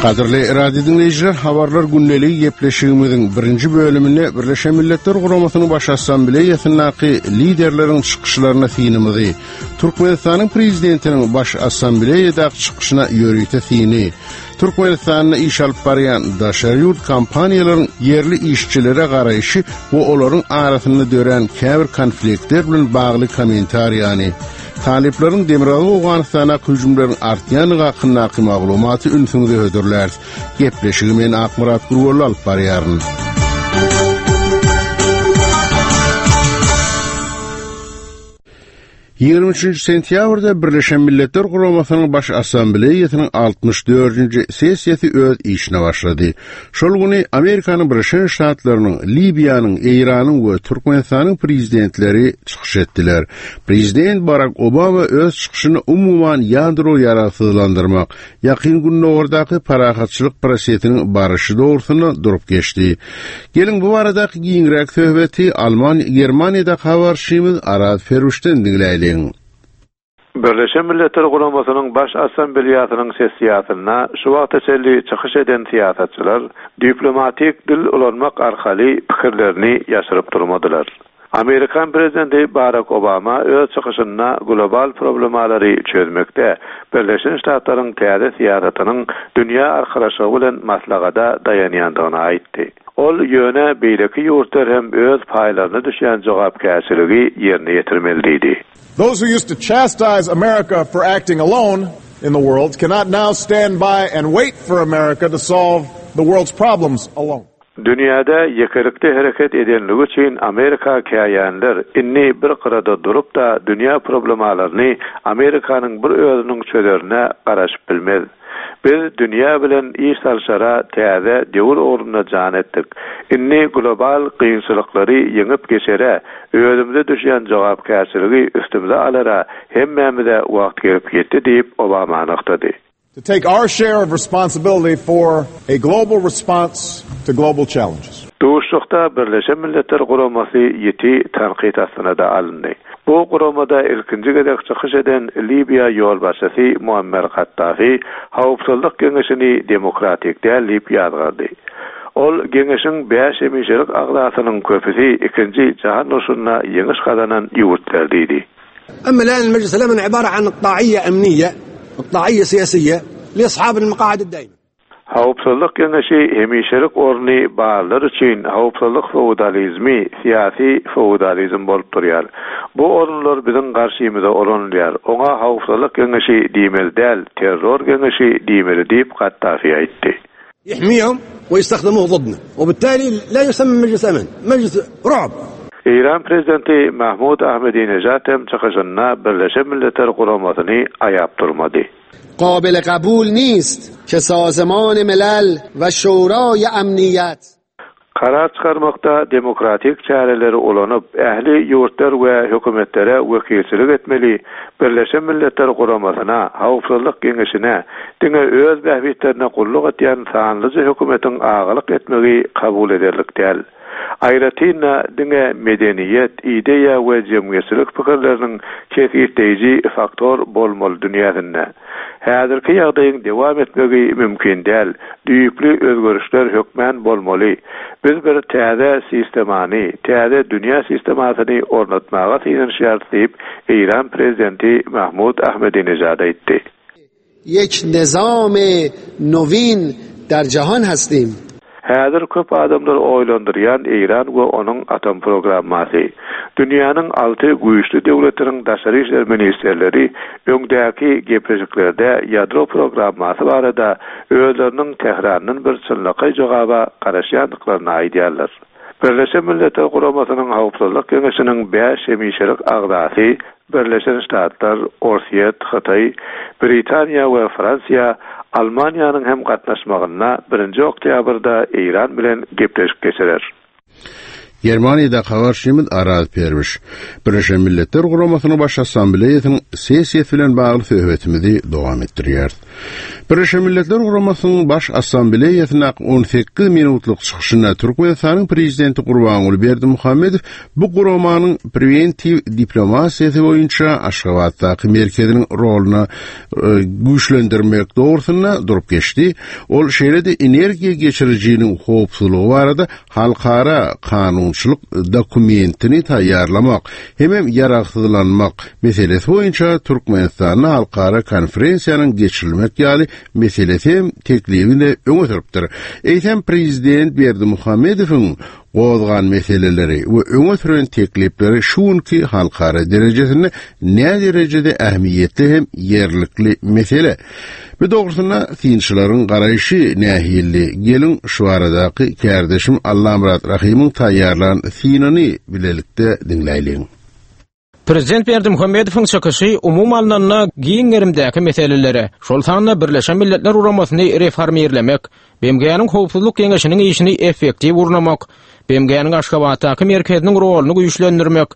Gadyrly radio diňleýjiler, habarlar gündeligi gepleşigimiziň birinji bölüminde Birleşen Milletler Guramasynyň Baş Assambleýasyndaky liderleriň çykyşlaryna synymyzy, Türkmenistanyň Prezidentiniň Baş Assambleýadaky çykyşyna ýörite syny, Türkmenistanda iş alyp barýan daşary ýurt kompaniýalaryň ýerli işçilere garaýşy we olaryň arasynda dörän käbir konfliktler bilen bagly kommentariýany, talyplaryň Demirgazyk Owganystandaky hüjümleriň artýandygy hakyndaky maglumaty ünsüňize hödürläris. Gepleşigi men Akmyrat Gurbolly alyp barýaryn. 23 sentýabrda Birleşen Milletler Guramasynyň Baş Assambleýasynyň 64-nji sessiýasy öz işine başlady. Şol güni Amerikanyň Birleşen Ştatlarynyň, Libiýanyň, Eýranyň we Türkmenistanyň prezidentleri çykyş etdiler. Prezident Barak Obama öz çykyşynda umuman ýadro ýaragsyzlandyrmak, Ýakyn Gündogardaky parahatçylyk prosesiniň baryşy dogrusynda durup geçdi. Geliň, bu baradaky giňräk söhbeti Alman Germaniýadaky habarçymyz Araz Feruşden diňläýliň. Birleşen Milletler Guramasynyň Baş Assambleýasynyň sessiýasynda şu wagta çenli çykyş eden syýasatçylar diplomatik dil ulanmak arkaly pikirlerini ýaşyryp durmadylar. Amerikan prezidenti Barak Obama öz çykyşynda global problemalary çözmekde Birleşen Ştatlaryň täze syýasatynyň dünýä arkalaşygy bilen maslahata daýanýandygyny aýtdy. Ol ýöne beýleki ýurtlar hem öz paýlaryna düşýän jogapkärçiligi ýerine ýetirmeli diýdi. Those who used to chastise America for acting alone in the world cannot now stand by and wait for America to solve the world's problems alone. Dünýäde ýekelikde hereket edenligi üçin Amerika käýänler indi bir gyrada durup-da dünýä problemalaryny Amerikanyň bir özüniň çözerine garaşyp bilmez. Biz dünýä bilen iş salşara täze döwür ugrunda jan etdik. Indi global kynçylyklary ýeňip geçere, özümize düşýän jogapkärçiligi üstümize alara hemmämize wagt gelip ýetdi diýip Obama nygtady. To take our share of responsibility for a global response to global challenges. Duşuşykda Birleşen Milletler Guramasy ýiti tankyt astyna-da alyndy. Bu guramada ilkinji gezek çykyş eden Libiýa ýolbaşçysy Muammer Kaddafi Howpsuzlyk Geňeşini demokratik däl diýip ýazgardy. Ol Geňeşiň bäş hemişelik agzasynyň köpüsi Ikinji jahan urşunda ýeňiş gazanan ýurtlar diýdi. Emma الآن المجلس الأمن عبارة عن إقطاعية أمنية إقطاعية سياسية لأصحاب المقاعد الدائمة. Howpsuzlyk Geňeşi hemişelik orny barlar üçin howpsuzlyk feodalizmi, syýasy feodalizm bolup durýar. Bu orunlar biziň garşymyza ulanylýar. Oňa Howpsuzlyk Geňeşi diýmeli däl, terror geňeşi diýmeli diýip, Kaddafi aýtdy. يحميهم ويستخدموه ضدنا وبالتالي لا يسمى مجلس أمن مجلس رعب. Eýran prezidenti Mahmud Ahmedinejad hem çykyşynda Birleşen Milletler Guramasyny aýap durmady. قابل قبول نیست که سازمان ملل و شورای امنیت Karar çykarmakda demokratik çäreleri ulanyp, ähli ýurtlar we hökümetlere wekilçilik etmeli Birleşen Milletler Guramasyna, Howpsuzlyk Geňeşine diňe öz bähbitlerine gulluk edýän sanlyja hökümetiň agalyk etmegi kabul ederlik däl. Aýratyn-da, diňe medeniýet, ideýa we jemgyýetçilik pikirleriniň kesgitleýji faktor bolmaly dünýäsinde. Häzirki ýagdaýyň dowam etmegi mümkin däl, düýpli özgerişler hökmän bolmaly. Biz bir täze sistemany, täze dünýä sistemasyny ornatmaga synanyşýarys diýip, Eýran prezidenti Mahmud Ahmedinejad aýtdy. Yek nizam nowin der jahan hastim. Häzir köp adamlary oýlandyrýan Eýran we onuň atom programmasy. Dünýäniň alty güýçli döwletiniň daşary işler ministrleri öňdäki gepleşiklerde ýadro programmasy barada özleriniň Tährandan bir çynlakaý jogaba garaşýandyklaryny aýdýarlar. Birleşen Milletler Guramasynyň Howpsuzlyk Geňeşiniň bäş hemişelik agzasy Birleşen Ştatlar, Orsýet, Hytaý, Britaniýa we Fransiýa Almaniýanyň hem gatnaşmagynda birinji oktýabrda Eýran bilen gepleşik geçirer. Germaniýadaky habarçymyz Araz Perwiş. Birleşen Milletler Guramasynyň Baş Assambleýasynyň sessiýasy bilen bagly söhbetimizi dowam etdirýäris. Birleşen Milletler Guramasynyň Baş Assambleýasyndaky 18 minutlyk çykyşynda Türkmenistanyň Prezidenti Gurbanguly Berdimuhamedow bu guramanyň prewentiw diplomasiýasy boýunça Aşgabatdaky merkeziniň roluny güýçlendirmek dogrusynda durup geçdi. Ol şeýle-de energiýa geçirijiniň howpsuzlygy barada halkara kanunçylyk dokumentini taýýarlamak hemem ýaragsyzlanmak meselesi boýunça Türkmenistanda halkara konferensiýanyň geçirilmek ýaly meselesi hem teklibini öňe sürüpdir. Eýsem prezident Berdimuhamedowyň gozgan meseleleri we öňe süren teklipleri şu günki halkara derejesinde näderejede ähmiýetli hem ýerlikli mesele? Bu dogrusynda synçylaryň garaýşy nähili? Geliň, şu baradaky kärdeşim Allamyrat Rahymyň taýýarlan synyny bilelikde diňläýliň. Prezident Berdimuhamedowyň çykyşy umumy alnanda giň gerimdäki meselelere, şol sanda Birleşen Milletler Guramasyny reformirlemek, BMG-niň Howpsuzlyk Geňeşiniň işini effektiw gurnamak, BMG-niň Aşgabatdaky merkeziniň roluny güýçlendirmek,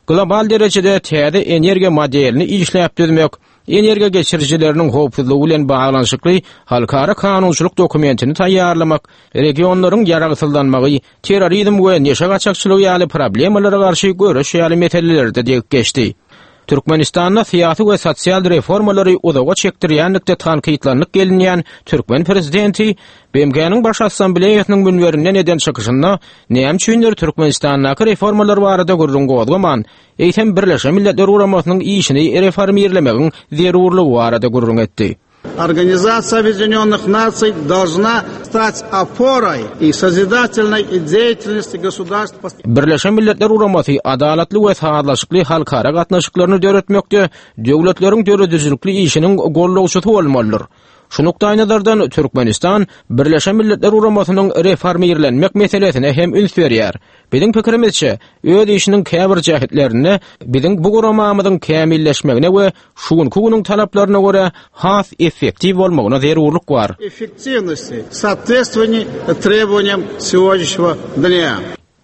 global derejede täze energiýa modelini işläp düzmek, energiýa geçirijileriniň howpsuzlygy bilen baglanyşykly halkara kanunçylyk dokumentini taýýarlamak, regionlaryň ýaragsyzlanmagy, terrorizm we neşe gaçakçylygy ýaly problemalara garşy göreş ýaly meselelerde degip geçdi. Türkmenistanda syýasy we sosial reformalary uzaga çekdirýänlikde tankytlanyp gelinýän türkmen prezidenti BMG-niň Baş Assambleýasynyň münberinden eden çykyşynda näme üçindir Türkmenistandaky reformalar barada gürrüň gozgaman, eýsem Birleşen Milletler Guramasynyň işini reformirlemegiň zerurlygy barada gürrüň etdi. Organizasiýa Obýedinýonnyh Nasiý dolžna stać oporay i sozidatelnoý deýatelnosti gosudarstw. Birleşen Milletler Guramasy adalatly we sazlaşykly halkara gatnaşyklaryny döretmekde döwletleriň döredijilikli işiniň gollawçysy bolmalydyr. Şu nukdaýnazardan Türkmenistan Birleşen Milletler Guramasynyň reformirlenmek meselesine hem üns berýär. Biziň pikirimizçe, öz işiniň käbir jähetlerinde biziň bu guramamyzyň kämilleşmegine we şu günki günüň talaplaryna görä has effektiw bolmagyna zerurlyk bar. Effektiwnosti, sootvetstwowaniýa trebowaniýam segodnýaşnega dnýa.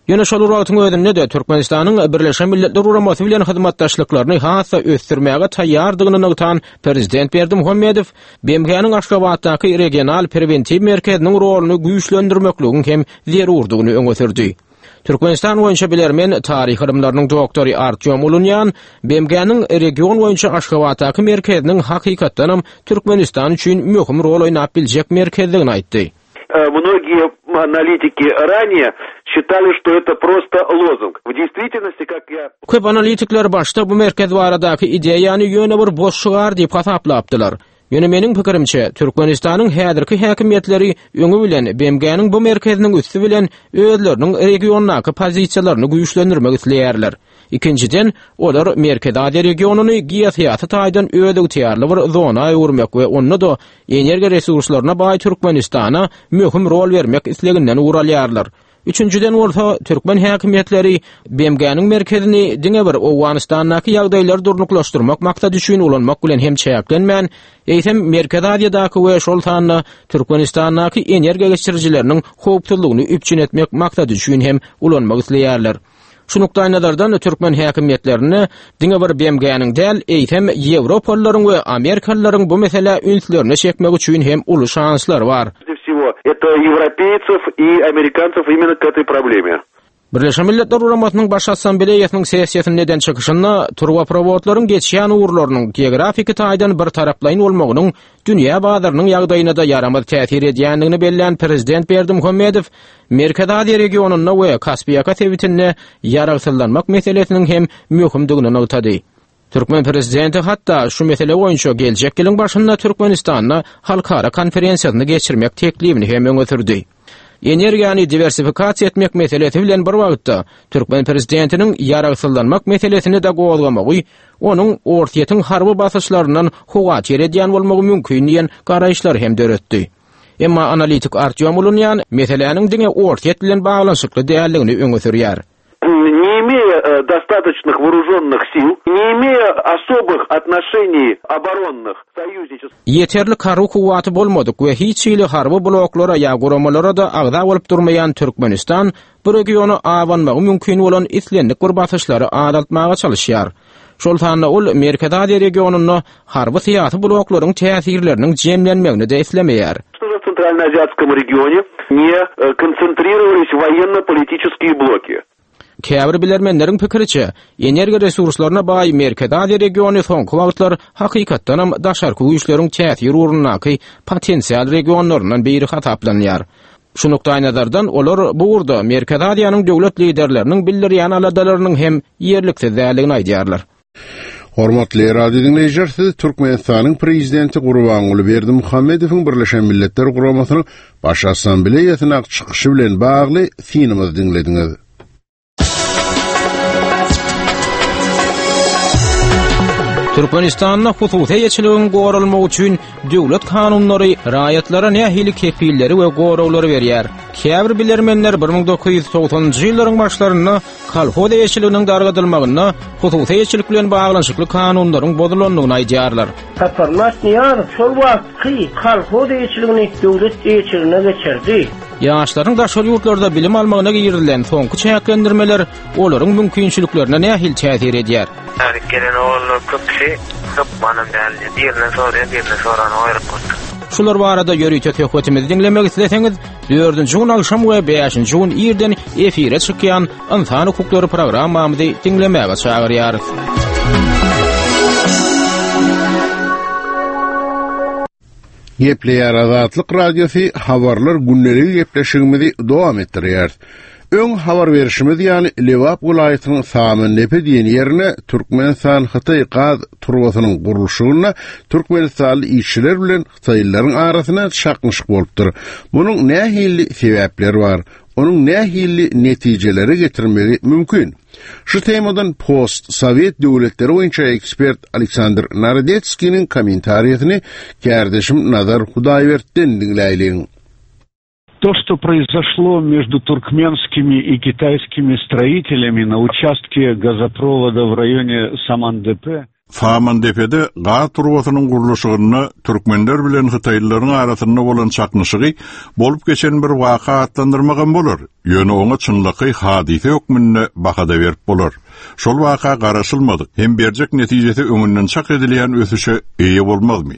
Ýöne şol bir wagtyň özünde-de Türkmenistanyň Birleşen Milletler Guramasy bilen hyzmatdaşlyklaryny has-da ösdürmäge taýýardygyny nygtan Prezident Berdimuhamedow BMG-niň Aşgabatdaky regional prewentiw merkeziniň roluny güýçlendirmekligiň hem zerurdygyny öňe sürdi. Türkmenistan boýunça bilermen, taryh ylymlarynyň doktory Artýom Ulunýan BMG-niň region boýunça Aşgabatdaky merkeziniň hakykatdanam Türkmenistan üçin möhüm rol oýnap biljek merkezdigini aýtdy. Mnogie analitiki ranее считали, что это prosto lozung. W deýstwitelnosti, kak ýa. Köp analitikler başda bu merkez baradaky ideýany ýöne bir boş şygar diýip hasaplapdylar. Ýöne meniň pikirimçe, Türkmenistanyň häzirki häkimiýetleri öňi bilen BMG-niň bu merkeziniň üsti bilen özleriniň regiondaky pozisiýalaryny güýçlendirmek isleýärler. Ikinjiden, olar Merkezi Aziýa regionyny geosyýasy taýdan özygtyýarly bir zona öwürmek we onda-da energiýa resurslaryna baý Türkmenistana möhüm rol bermek isleginden ugur alýarlar. Üçünjiden bolsa, türkmen häkimiýetleri BMG-niň merkezini diňe bir Owganystandaky ýagdaýlary durnuklaşdyrmak maksady üçin ulanmak bilen hem çäklenmän, eýsem Merkezi Aziýadaky we şol sanda Türkmenistandaky energiýa geçirijileriniň howpsuzlygyny üpjün etmek maksady üçin hem ulanmak isleýärler. Şu nukdaýnazardan türkmen häkimiýetlerinde diňe bir BMG-niň däl, eýsem ýewropalylaryň we amerikalylaryň bu meselä ünslerini çekmek üçin hem uly şanslary bar. Всего это европейцев и американцев именно к этой проблеме. Birleşen Milletler Guramasynyň Baş Assambleýasynyň sessiýasynda eden çykyşynda turbaprowodlaryň geçýän ugurlarynyň geografiki taýdan birtaraplaýyn bolmagynyň dünýä bazarynyň ýagdaýyna-da ýaramaz täsir edýändigini bellän prezident Berdimuhamedow Merkezi Aziýa regionynda we Kaspiýaka sebitinde ýaragsyzlanmak meselesiniň hem möhümdigini nygtady. Türkmen prezidenti hatda şu mesele boýunça geljek ýylyň başynda Türkmenistanda halkara konferensiýasyny geçirmek teklibini hem öňe sürdi. Energiýany diwersifikasiýa etmek meselesi bilen bir wagtda, türkmen prezidentiniň ýaragsyzlanmak meselesini-de gozgamagy onuň Orsýetiň harby basyşlaryndan howatyr edýän bolmagy mümkin diýen garaýyşlary hem döretdi. Emma analitik Artýom Ulunýan meseläniň diňe Orsýet bilen baglanyşykly däldigini öňe sürýär. Ne imeýa. достаточных вооруженных сил, не имея особых отношений оборонных союзнических. Ýeterlik harby kuwwaty bolmadyk we hiç hili harby bloklara ýa guramalara-da agza bolup durmaýan Türkmenistan bu regiona abanmagy mümkin bolan islendik bir basyşlary azaltmaga çalyşýar. Şol sanda ol Merkezi Aziýa regionynda harby-syýasy bloklaryň täsirleriniň jemlenmegini-de islemeýär. Чтобы в Центральноазиатском regione не konsentrировались военно-политические bloki. Käbir bilermenleriň pikiriçe, energiýa resurslaryna baý Merkezi Aziýa regiony soňky wagtlar hakykatdanam daşarky güýçleriň täsir ugrundaky potensial regionlaryndan biri hasaplanýar. Şu nukdaýnazardan olar bu ugurda Merkezi Aziýanyň döwlet liderleriniň bildirýän aladalarynyň hem ýerliksiz däldigini aýdýarlar. Hormatly radio diňleýjiler, siz Türkmenistanyň Prezidenti Gurbanguly Berdimuhamedowyň Birleşen Milletler Guramasynyň Baş Assambleýasyndaky çykyşy bilen bagly synymyzy diňlediňiz. Türkmenistanda hususy eýeçiligiň goralmagy üçin döwlet kanunlary raýatlara nähili kepilleri we goraglary berýär? Käbir bilermenler 1990-njy ýyllaryň başlarynda kolhoz eýeçiliginiň dargadylmagynda hususy eýeçilik bilen baglanyşykly kanunlaryň bozulandygyny aýdýarlar. Saparmyrat Nyýazow şol wagtky kolhoz eýeçiligini döwlet eýeçiligine geçirdi. Ýaşlaryň daşary ýurtlarda bilim almagyna girizilen soňky çäklendirmeler olaryň mümkinçiliklerine nähili täsir edýär? Täze gelen oglanlar köpüsi hökmanam däl diýýär. Birinden soraýan, birinden soranok aeroportda. Şular barada ýörite söhbetimizi diňlemek isleseňiz, dördünji gün agşam we bäşinji gün irden efire çykýan Ynsan hukuklary programmamyzy diňlemäge çagyrýarys. Gepleýär Azatlyk Radiosy habarlar gündeligi gepleşigimizi dowam etdirýäris. Öň habar berşimiz ýaly Lebap welaýatynyň Samyndepe diýen ýerine Türkmenistan-Hytaý gaz turbasynyň gurluşygynda türkmenistanly işçiler bilen hytaýlylaryň arasynda çaknyşyk bolupdyr. Munuň nähili sebäpleri bar? Onuň nähili netijelere getirmegi mümkin? Şu temadan post-sowet döwletleri boýunça ekspert Aleksandr Narodetskiniň kommentariýasyny kärdeşim Nazar Hudaýbertden diňläýliň. То, что произошло между туркменскими и китайскими строителями на участке газопровода в районе Самандепе, Samandepede gaz turbasynyň gurluşygynda türkmenler bilen hytaýlylaryň arasynda bolan çaknyşygy bolup geçen bir waka atlandyrmagam bolar, ýöne oňa çynlakaý hadysa hökmünde baha-da berip bolar. Şol waka garaşylmadyk hem berjek netijesi öňünden çak edilýän ösüşe eýe bolmazmy?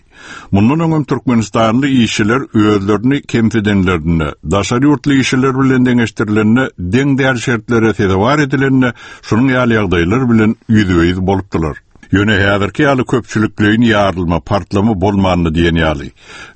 Mundan öňem türkmenistanly işçiler özlerini kemsidenlerinde, daşary ýurtly işçiler bilen deňeşdirilende deň däl şertlere sezewar edilende şunuň ýaly ýagdaýlar bilen ýüzbe-ýüz bolupdylar. Ýöne häzirki ýaly köpçülikleýin ýarylma, partlama bolmandy diýen ýaly.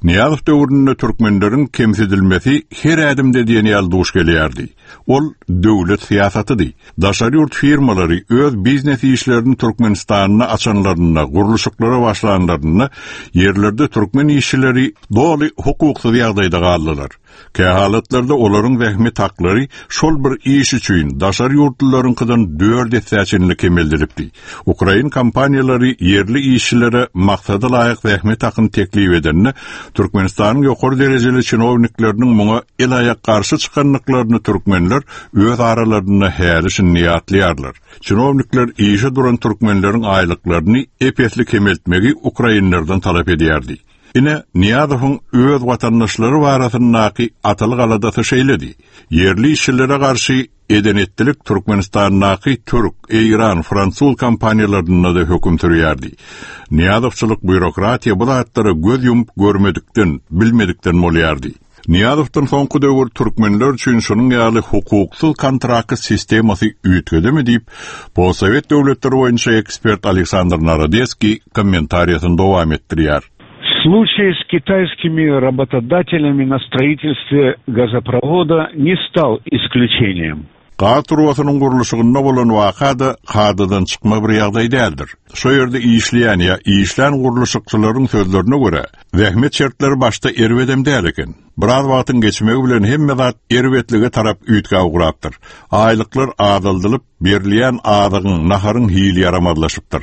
Nyýazow döwründe türkmenleriň kemsidilmesi her ädimde diýen ýaly duş gelýärdi. Ol döwlet syýasatydy. Daşary ýurt firmalary öz biznes işlerini Türkmenistanda açanlarynda, gurluşyklara başlanlarynda ýerlerde türkmen işçileri doly hukuksyz ýagdaýda galdylar. Kähalatlarda olaryň zähmet haklary şol bir iş üçin daşary ýurtlularyňkydan dört essä çenli kemeldilipdi. Ukrain kompaniýalary ýerli işçilere maksada laýyk zähmet hakyny teklip edende, Türkmenistanyň ýokary derejeli çinownikleriniň muňa el-aýak garşy çykandyklaryny türkmenler öz aralarynda häli-şindi ýatlaýarlar. Çinownikler işe duran türkmenleriň aýlyklaryny ep-esli kemeltmegi ukrainlerden talap edýärdi. Ine, Nyýazowyň öz watandaşlary barasyndaky atalyk aladasy şeýledi. Ýerli işçilere garşy Eden-etdilik Türkmenistandaky türk, eýran, fransuz kompaniýalarynda-da höküm sürýärdi. Nyýazowçylyk býurokratiýa bu zatlara göz ýumup görmedikden, bilmedikden bolýardy. Nyýazowdan soňky döwür türkmenler üçin şunuň ýaly hukuksyz kontrakt sistemasy üýtgedimi diýip, postsowet döwletleri boýunça ekspert Aleksandr Narodeskiý kommentariýasyny dowam etdirýär. Случай с китайскими работодателями на строительстве газопровода не стал исключением. Gaz turbasynyň gurluşygynda bolan waka-da kadadan çykma bir ýagdaý däldir. Şo ýerde işleýän ýa işlän gurluşykçylaryň sözlerine görä, zähmet şertleri başda erbedem däl eken. Biraz wagtyň geçmegi bilen hemme zat erbetlige tarap üýtgäp ugrapdyr. Aýlyklar azaldylyp, berilýän azygyň, naharyň hili ýaramazlaşypdyr.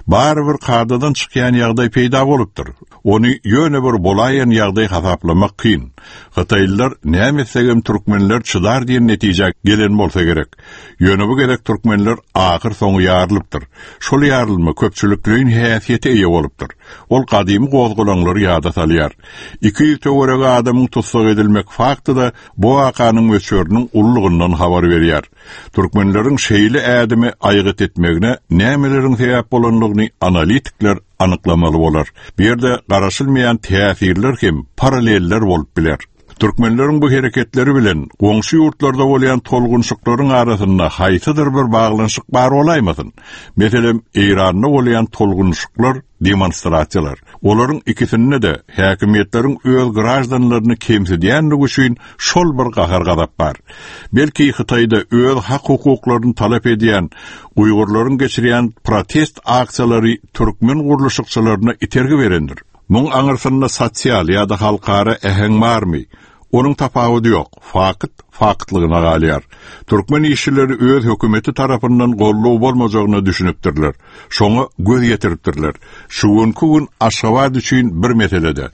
Barybir kadadan çykýan ýagdaý peýda bolupdyr. Ony ýöne bir bolaýan ýagdaý hasaplamak kyn. Hytaýlylar näme etsegem türkmenler çydar diýen netijä gelen bolsa gerek. Ýöne bu gezek türkmenler ahyr soňy ýarylypdyr. Şol ýarylma köpçülikleýin häsiýete eýe bolupdyr. Ol gadymy gozgalaňlary ýada salýar. 200 töweregi adamyň tussag edilmek fakty-da bu wakanyň möçberiniň ululygyndan habar berýär. Türkmenleriň şeýle ädimi aýgyt etmegine nämeleriň sebäp bolandygyny analitikler anyklamaly bolar. Bu ýerde garaşylmaýan täsirler hem paralleller bolup biler. Türkmenleriň bu hereketleri bilen goňşy ýurtlarda bolýan tolgunşyklaryň arasynda haýsydyr bir baglanyşyk bar bolaýmasyn? Meselem, Eýranda bolýan tolgunyşyklar, demonstrasiýalar. Olaryň ikisinde-de häkimiýetleriň öz graždanlaryny kemsidýänligi üçin şol bir gahar-gazap bar. Belki Hytaýda öz hak-hukuklaryny talap edýän uýgurlaryň geçirýän protest aksiýalary türkmen gurluşykçylaryna itergi berendir. Muň aňyrsynda sosial ýa-da halkara äheň barmy? Onuň tapawudy ýok, fakt faktlygyna galýar. Türkmen işçileri öz hökümeti tarapyndan goldaw bolmajagyna düşünipdirler. Şoňa göz ýetiripdirler. Şu günki gün Aşgabat üçin bir meselede,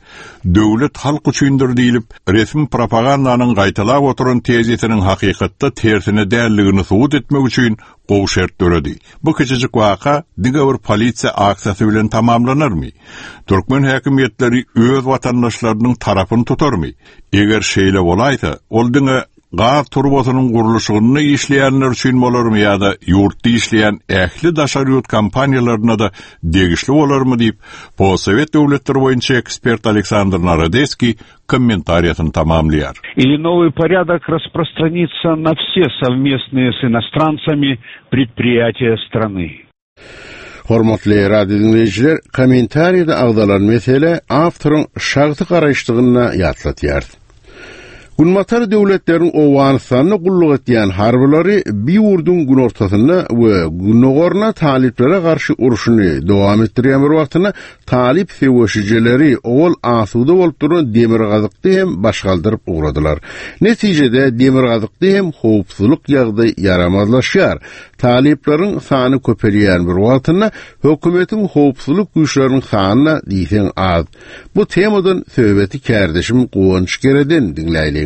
Döwlet halk üçindir diýlip, resmi propagandanyň gaýtalap oturan tezisiniň hakykatda tersine däldigini subut etmek üçin gowy şert döredi. Bu kiçijik waka diňe bir polisiýa aksiýasy bilen tamamlanarmy? Türkmen häkimiýetleri öz watandaşlarynyň tarapyny tutarmy? Eger şeýle bolaýsa, ol diňe gaz turbasynyň gurluşygynda işleýänler üçin bolarmy ýa-da ýurtda işleýän ähli daşary ýurt kompaniýalaryna-da degişli bolarmy diýip, postsowet döwletleri boýunça ekspert Aleksandr Narodeskiý kommentariýasyny tamamlaýar. Или новый порядок распространится на все совместные с иностранцами предприятия страны. Hormatly radio diňleýjiler, kommentariýada agzalan mesele awtoryň şahsy garaýyşdygyny ýatlatýarys. Günbatar döwletleriň Owganystanda gulluk etýän harbylary bi ýurduň günortasynda we gündogarynda talyplara garşy urşuny dowam etdirýän bir wagtynda talyp söweşijileri owal asuda bolup duran demirgazykda hem baş galdyryp ugradylar. Netijede demirgazykda hem howpsuzlyk ýagdaý ýaramazlaşýar. Talyplaryň sany köpelýän bir wagtynda hökümetiň howpsuzlyk güýçleriniň sany-da diýseň az. Bu temadan söhbeti kärdeşim Guwanç Gereden diňläýliň.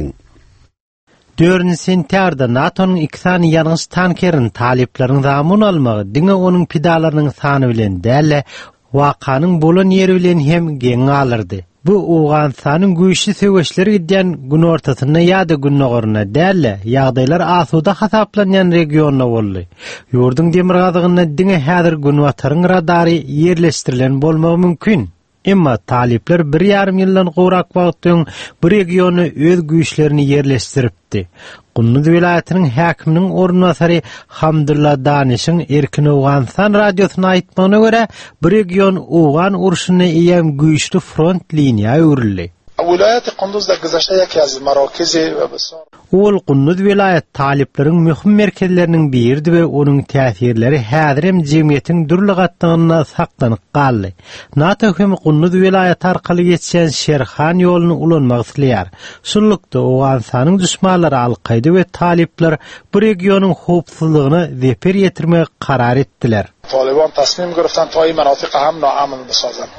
Dördünji sentýabrda NATO-nyň iki sany ýangyç tankerini talyplaryň zamun almagy diňe onuň pidalarynyň sany bilen däl-de, wakanyň bolan ýeri bilen hem geň galdyrdy. Bu Owganystanyň güýçli söweşler gidýän günortasynda ýa-da gündogarynda däl-de, ýagdaýlar asuda hasaplanýan regionda boldy. Ýurduň demirgazygynda diňe häzir Günbataryň radary ýerleşdirilen bolmagy mümkin. Emma talyplar bir ýarym ýyldan gowrak wagt öň bu regionda öz güýçlerini ýerleşdiripdi. Gunduz welaýatynyň häkiminiň orunbasary Hamdulla Danişiň Erkin Owganystan radiosyna aýtmagyna görä, bu region owgan urşunda eýýäm güýçli front liniýa öwrüldi. Welaýaty Kunduzda güzeşte ýeki az merakizi we besar. Ol Gunduz welaýat talyplaryň möhüm merkezleriniň biridi we onuň täsirleri häzirem jemgyýetiň dürli gatlagynda saklanyp galdy. NATO hem Gunduz welaýaty arkaly geçýän Şerhan ýoluny ulanmak isleýär. Şunlukda, Owganystanyň duşmanlary Al-Kaýda we talyplar bu regionyň howpsuzlygyna zeper ýetirmegi karar etdiler. Talyban tasmim giriftan ta in menatiq ham naamn bisazan.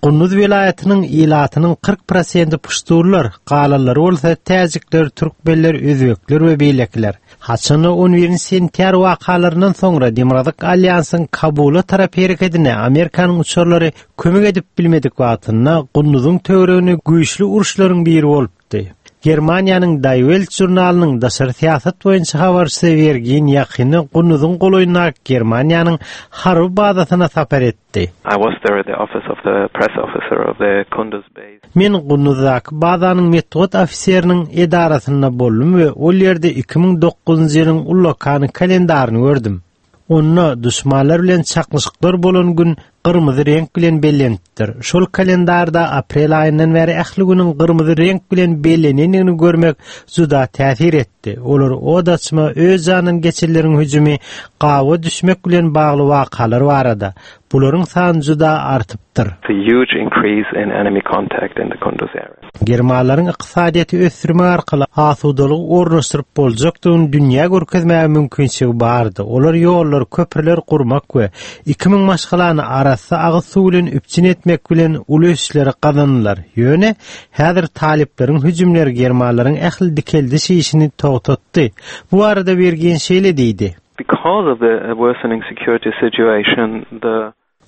Gunduz welaýatynyň ilatynyň 40 prosenti puştunlar, galanlary bolsa täjikler, türkmenler, özbekler we beýlekiler. Haçanda on birinji sentýabr wakalaryndan soňra Demirgazyk alýansyň Kabula tarap herekedine Amerikanyň uçarlary kömek edip bilmedik wagtynda Gunduzyň töwereginde güýçli uruşlaryň biri bolupdy. Germaniýanyň Die Welt žurnalynyň daşary syýasat boýunça habarçysy Wergin ýakynda Gunduzyň golaýyndaky Germaniýanyň harby bazasyna sapar etdi. I was there at the office of the press officer of the Kunduz base. Men Gunduzdaky bazanyň metbugat ofiseriniň edarasynda boldum we ol ýerde 2009-njy ýylyň ullakan kalendaryny gördüm. Onda duşmanlar bilen çaknyşyklar bolan gün gyrmyzy reňk bilen bellenipdir. Şol kalendarda aprel aýyndan bäri ähli günüň gyrmyzy reňk bilen bellenendigini görmek juda täsir etdi. Olar od açma, öz janyndan geçenleriň hüjümi, gawa düşmek bilen bagly wakalar barada. Bularyň sany juda artypdyr. The huge increase in enemy contact in the Kunduz area. Germanlaryň ykdysadyýeti ösdürmek arkaly asudalygy ornaşdyryp boljakdygyny dünýä görkezmäge mümkinçiligi bardy. Olar ýollar, köprüler gurmak we 2000 maşgalany arassa agyz suw bilen üpjün etmek bilen uly ösüşleri gazandylar. Ýöne häzir talyplaryň hüjümleri germanlaryň ähli dikeldiş işini togtatdy. Bu barada Wirgin şeýle diýdi. Because of the worsening security situation, the.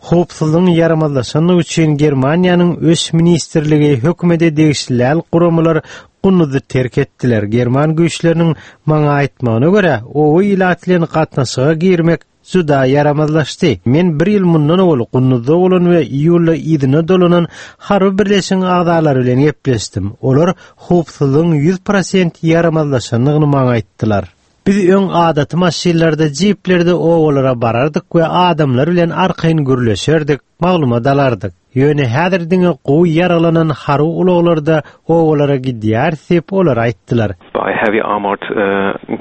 Howpsuzlygyň ýaramazlaşandygy üçin Germaniýanyň Ösüş ministrligi, hökümete degişli däl guramalar Kunduzy terk etdiler. German güýçleriniň maňa aýtmagyna görä, oba ilaty bilen gatnaşyga girmek juda ýaramazlaşdy. Men bir ýyl mundan owal Kunduzda bolan we iýulda yzyna dolanan harby birleşigiň agzalary bilen gepleşdim. Olar howpsuzlygyň 100% ýaramazlaşandygyny maňa aýtdylar. Biz öň adaty maşynlarda, jiplerde obalara barardyk we adamlar bilen arkaýyn gürleşerdik, maglumat alardyk. Ýöne häzir diňe gowy ýaraglanan harby ulaglarda obalara gidýäris diýip, olar aýtdylar. By heavy armored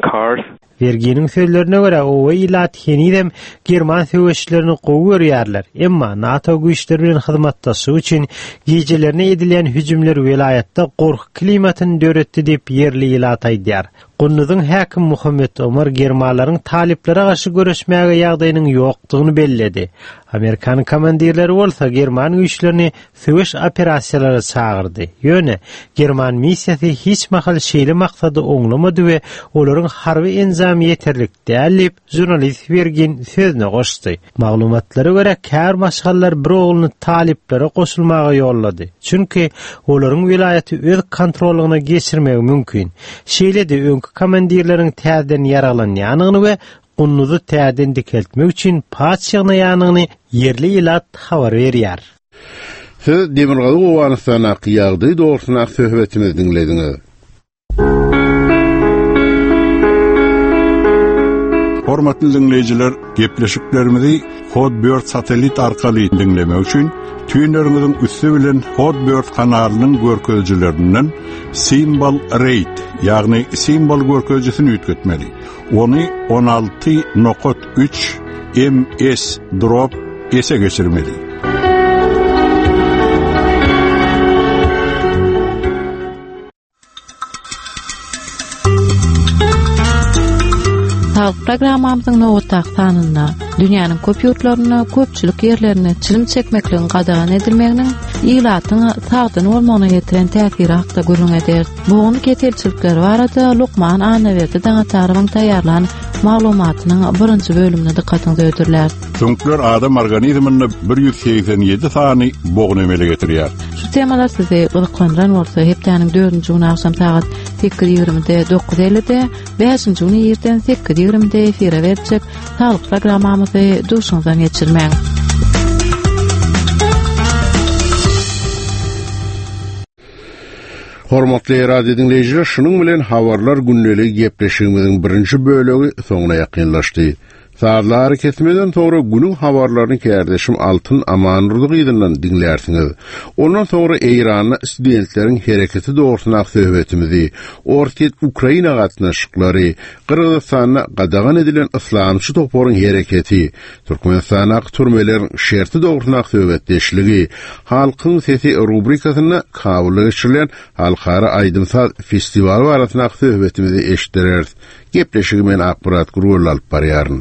cars. Werginiň sözlerine görä, oba ilaty henizem german söweşçilerini gowy görýärler, emma NATO güýçleri bilen hyzmatdaşlyk üçin gijelerine edilýän hüjümler welaýatda gorky klimatyny döretdi diýip, ýerli ilat aýdýar. Kunduzyň häkimi Muhammet Omar germanlaryň talyplara garşy göreşmäge ýagdaýynyň ýokdugyny belledi. Amerikan komandirleri bolsa german güýçlerini söweş operasiýalara çagyrdy. Ýöne german missiýasy hiç mahal şeýle maksady oňlamady we olaryň harby enjamy ýeterlik däl diýip, Žurnalist Wergin sözüne goşdy. Maglumatlara görä, käbir maşgalalar bir ogluny talyplara goşulmaga ýollady. Çünki olaryň welaýaty öz kontrollygyna geçirmegi mümkin. Şeýle-de öňki komandirleriň täzeden ýaraglanýanyny we Kunduzy täzeden dikeltmek üçin paç ýygnaýanyny ýerli ilat habar berýär. Siz Demirgazyk Owganystandaky ýagdaý dogrusyndaky söhbetimizi diňlediňiz. Hormatly diňleýjiler, gepleşiklerimizi Hotbird satellit arkaly diňlemek üçin tüýneriňiziň üsti bilen Hotbird kanalynyň görkezijilerinden Symbol Rate, ýagny simwol görkezijisini üýtgetmeli. Ony 16.3 MS drop S-e geçirmeli. Saglyk programmamyzyň nobatdaky sanynda dünýäniň köp ýurtlarynda köpçülik ýerlerinde çilim çekmekligiň gadagan edilmeginiň ilatyň sagdyn bolmagyna getiren täsiri hakda gürrüň ederis. Bogun keselçilikleri barada lukman Annaberdi Daňatarowyň taýýarlan maglumatynyň birinji bölümini dykgatyňyza hödürläris. Süňkler adam organizminde 187 sany bogun emele getirýär. Şu temalar sizi gyzyklandyran bolsa, hepdäniň dördünji güni agşam sagat 8:20-de, 9:50-de, bäşinji güni irden 8:20-de efire beriljek Saglyk programmamyzy duşuňyzdan geçirmäň. Hormatly radio diňleýjiler, şunuň bilen habarlar gündeligi gepleşigimiziň birinji bölegi soňuna ýakynlaşdy. Sazly arakesmeden soňra günüň habarlaryny kärdeşim Altyn Amandurdy gyzyndan diňlärsiňiz. Ondan soňra Eýranda studentleriň hereketi dogrusyndaky söhbetimizi, Orsýet-Ukraina gatnaşyklary, Gyrgyzystanda gadagan edilen yslamçy toparyň hereketi, Türkmenistandaky türmeleriň şerti dogrusyndaky söhbetdeşligi, Halkyň sesi rubrikasynda Kabulda geçirilen halkara aýdym-saz festiwaly barasyndaky söhbetimizi eşitdireris. Gepleşigi men Akmyrat Gurwelli alyp barýaryn.